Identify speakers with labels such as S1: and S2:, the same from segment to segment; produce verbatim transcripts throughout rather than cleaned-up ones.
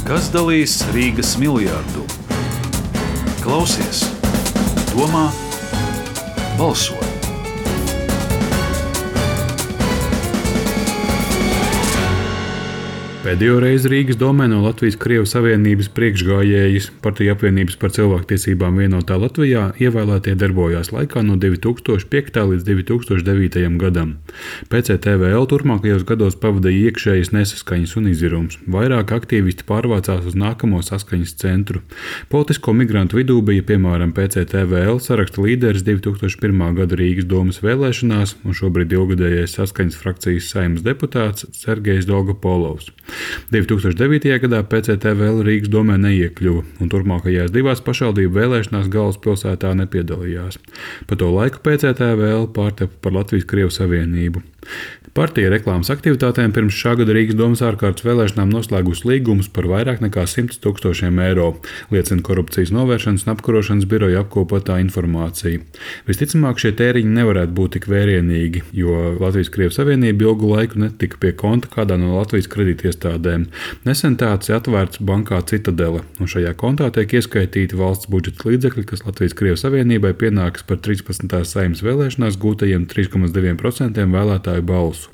S1: Kas dalīs Rīgas miljardu? Klausies, domā, balso!
S2: Pēdējo reizi Rīgas domē no Latvijas-Krievijas Savienības priekšgājējas Partiju apvienības par cilvēktiesībām vienotā Latvijā ievēlētie darbojās laikā no divi tūkstoši piektajā līdz divi tūkstoši devītajam gadam. P C T V L turpmākajos gados pavadīja iekšējas nesaskaņas un izirums. Vairāk aktīvisti pārvācās uz nākamo saskaņas centru. Politisko migrantu vidū bija piemēram P C T V L saraksta līderis divi tūkstoši pirmā gada Rīgas domas vēlēšanās un šobrīd ilgadējais saskaņas frakcijas Saeimas deputāts Sergejs Dolgopolovs. divi tūkstoši devītajā gadā P C T V L Rīgas domē neiekļuva un turpmākajās divās pašvaldību vēlēšanās galvaspilsētā nepiedalījās. Pa to laiku P C T V L pārtapa par Latvijas-Krievijas Savienību. Partija reklāmas aktivitātēm pirms šā gada Rīgas domas ārkārtas vēlēšanām noslēgusi līgumus par vairāk nekā simts tūkstošiem eiro, liecina Korupcijas novēršanas un apkarošanas biroja apkopotā informācija. Visticamāk, šie tēriņi nevarētu būt tik vērienīgi, jo Latvijas-Krievijas Savienība ilgu laiku netika pie konta kādā no Latvijas kredītiestādēm. Nesen tāds ir atvērts bankā Citadele, un šajā kontā tiek ieskaitīti valsts budžeta līdzekļi, kas Latvijas-Krievijas Savienībai pienākas par trīspadsmitās Saeimas vēlēšanās gūtajiem trīs komats divi procenti vēlētāju balsu.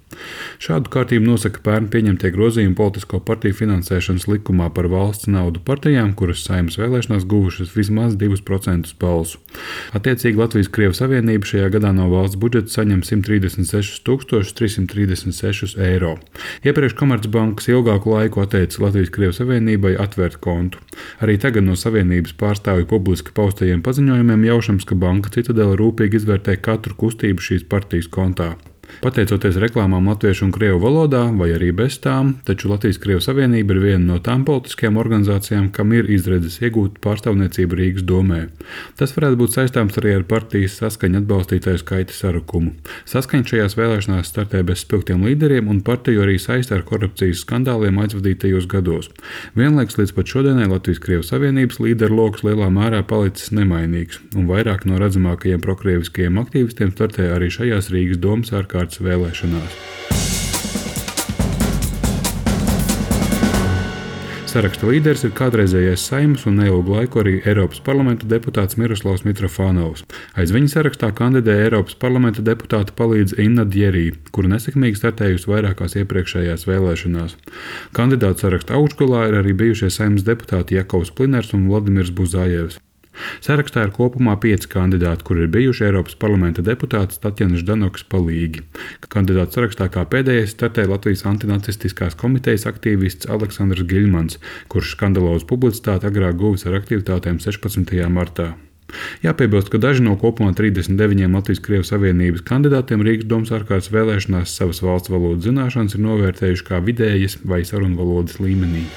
S2: Šādu kārtību nosaka pērn pieņemtie grozījumi politisko partiju finansēšanas likumā par valsts naudu partijām, kuras Saeimas vēlēšanās guvušas vismaz divus procentus balsu. Attiecīgi Latvijas-Krievijas Savienība šajā gadā no valsts budžeta saņem simt trīsdesmit sešus tūkstošus trīs simt trīsdesmit sešus eiro. Iepriekš Komercbankas ilgāku laiku atteica Latvijas-Krievijas Savienībai atvērt kontu. Arī tagad no Savienības pārstāvju publiski paustajiem paziņojumiem jaušams, ka banka Citadele rūpīgi izvērtē katru kustību šīs partijas kontā. Pateicoties reklāmām latviešu un krievu valodā, vai arī bez tām, taču Latvijas-Krievijas Savienība ir viena no tām politiskajām organizācijām, kam ir izredzes iegūt pārstāvniecību Rīgas domē. Tas varētu būt saistāms arī ar partijas saskaņa atbalstītāju skaita sarukumu. Saskaņa šajās vēlēšanās startē bez spilgtiem līderiem un partiju arī saista ar korupcijas skandāliem aizvadītajos gados. Vienlaikus līdz pat šodienai Latvijas-Krievijas Savienības līderu lokus lielā mērā palicis nemainīgs, un vairāk no redzamākajiem prokrieviskajiem aktīvistiem startē arī šajās Rīgas domas ārkārtas vēlēšanās. Saraksta līderis ir kādreizējais Saeimas un neilgu laiku arī Eiropas parlamenta deputāts Miroslavs Mitrofānovs. Aiz viņa sarakstā kandidē Eiropas parlamenta deputāta palīdze Inna Djerī, kura nesekmīgi startējusi vairākās iepriekšējās vēlēšanās. Kandidātu saraksta augšgalā ir arī bijušie Saeimas deputāti Jakovs Pliners un Vladimirs Buzājevs. Sarakstā ir kopumā pieci kandidāti, kuri ir bijuši Eiropas parlamenta deputāts Tatjana Ždanokas palīgi. Kandidātu sarakstā kā pēdējais startē Latvijas antinacistiskās komitejas aktīvists Aleksandrs Giļmans, kurš skandalozu publicitāti agrāk guvis ar aktivitātēm sešpadsmitajā martā. Jāpiebilst, ka daži no kopumā trīsdesmit deviņiem Latvijas-Krievijas Savienības kandidātiem Rīgas domas ārkārtas vēlēšanās savas valsts valodas zināšanas ir novērtējuši kā vidējas vai sarunvalodas līmenī.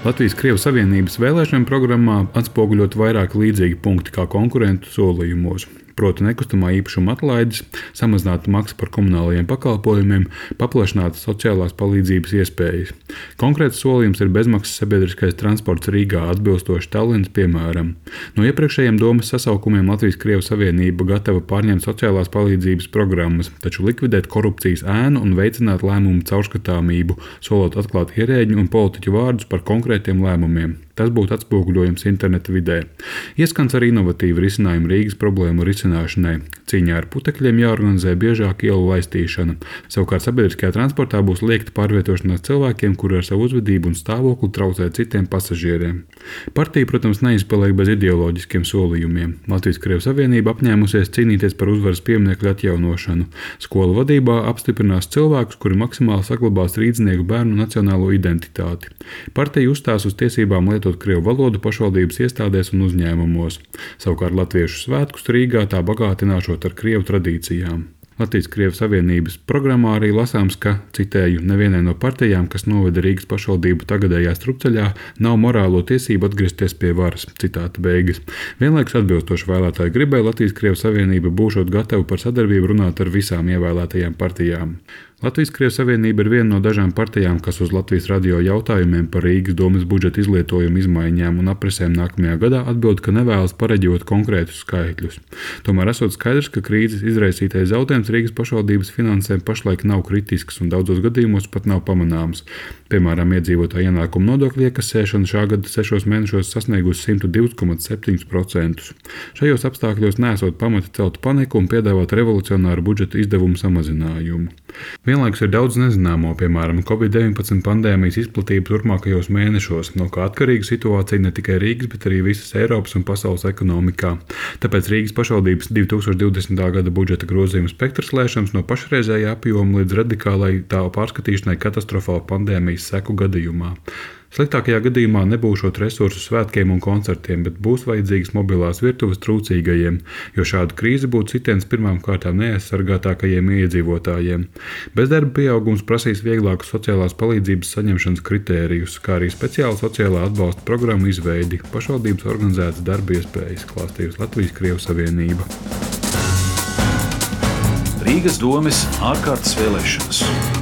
S2: Latvijas-Krievijas Savienības vēlēšanu programmā atspoguļot vairāk līdzīgi punkti kā konkurentu solījumos. Proti nekustamā īpašuma atlaides, samazināta maksa par komunālajiem pakalpojumiem, paplašinātas sociālās palīdzības iespējas. Konkrēts solījums ir bezmaksas sabiedriskais transports Rīgā atbilstoši Tallinas piemēram. No iepriekšējiem domas sasaukumiem Latvijas-Krievijas Savienība gatava pārņemt sociālās palīdzības programmas, taču likvidēt korupcijas ēnu un veicināt lēmumu caurskatāmību, solot atklāt ierēģu un politiķu vārdus par konkrētiem lēmumiem. Tas būtu atspoguļojums interneta vidē. Ieskans ar inovatīvu risinājumu Rīgas problēmu risināšanai. Cīņā ar putekļiem jāorganizē biežāk ielu laistīšana. Savukārt sabiedriskajā transportā būs liekta pārvietošanās cilvēkiem, kuri ar savu uzvedību un stāvokli traucē citiem pasažieriem. Partija, protams, neizpaliek bez ideoloģiskiem solījumiem. Latvijas-Krievijas Savienība apņēmusies cīnīties par uzvaras pieminekļu atjaunošanu. Skolu vadībā apstiprinās cilvēkus, kuri maksimāli saglabās rīdznieku bērnu nacionālo identitāti. Partija uzstās uz tiesībām lietot krievu valodu pašvaldības iestādēs un uzņēmumos. Savukārt latviešu svētkus Rīgā tā bagātināšot ar krievu tradīcijām. Latvijas-Krievijas Savienības programmā arī lasāms, ka, citēju, nevienai no partijām, kas noveda Rīgas pašvaldību tagadējā strupceļā, nav morālo tiesību atgriezties pie varas. Citāta beigas. Vienlaikus atbilstoši vēlētāju gribai Latvijas-Krievijas Savienība būšot gatava par sadarbību runāt ar visām ievēlētajām partijām. Latvijas-Krievijas Savienība ir viena no dažām partijām, kas uz Latvijas radio jautājumiem par Rīgas domes budžeta izlietojumu izmaiņām un aprisēm nākamajā gadā atbild, ka nevēlas pareģot konkrētus skaitļus. Tomēr esot skaidrs, ka krīzes izraisītais zaudējums Rīgas pašvaldības finansēm pašlaik nav kritisks un daudzos gadījumos pat nav pamanāms. Piemēram, iedzīvotāju ienākumu nodokļu iekasēšana šā gada sešos mēnešos sasniegusi simt divus komats septiņus procentus. Šajos apstākļos nesot pamata celt paniku un piedāvāt revolucionāru budžeta izdevumu samazinājumu. Vienlaikus ir daudz nezināmo, piemēram, covid deviņpadsmit pandēmijas izplatība turpmākajos mēnešos, no kā atkarīga situācija ne tikai Rīgas, bet arī visas Eiropas un pasaules ekonomikā. Tāpēc Rīgas pašvaldības divi tūkstoši divdesmitā gada budžeta grozījuma spektrs lēšams no pašreizējā apjoma līdz radikālai tā pārskatīšanai katastrofāla pandēmijas seku gadījumā. Sliktākajā gadījumā nebūšot resursu svētkiem un koncertiem, bet būs vajadzīgas mobilās virtuves trūcīgajiem, jo šāda krīze būtu sitiens pirmām kārtām neaizsargātākajiem iedzīvotājiem. Bezdarba pieaugums prasīs vieglākus sociālās palīdzības saņemšanas kritērijus, kā arī speciālu sociālā atbalsta programmu izveidi, pašvaldības organizētas darba iespējas, klāstījusi Latvijas-Krievijas Savienība.
S1: Rīgas domes ārkārtas vēlēšanas.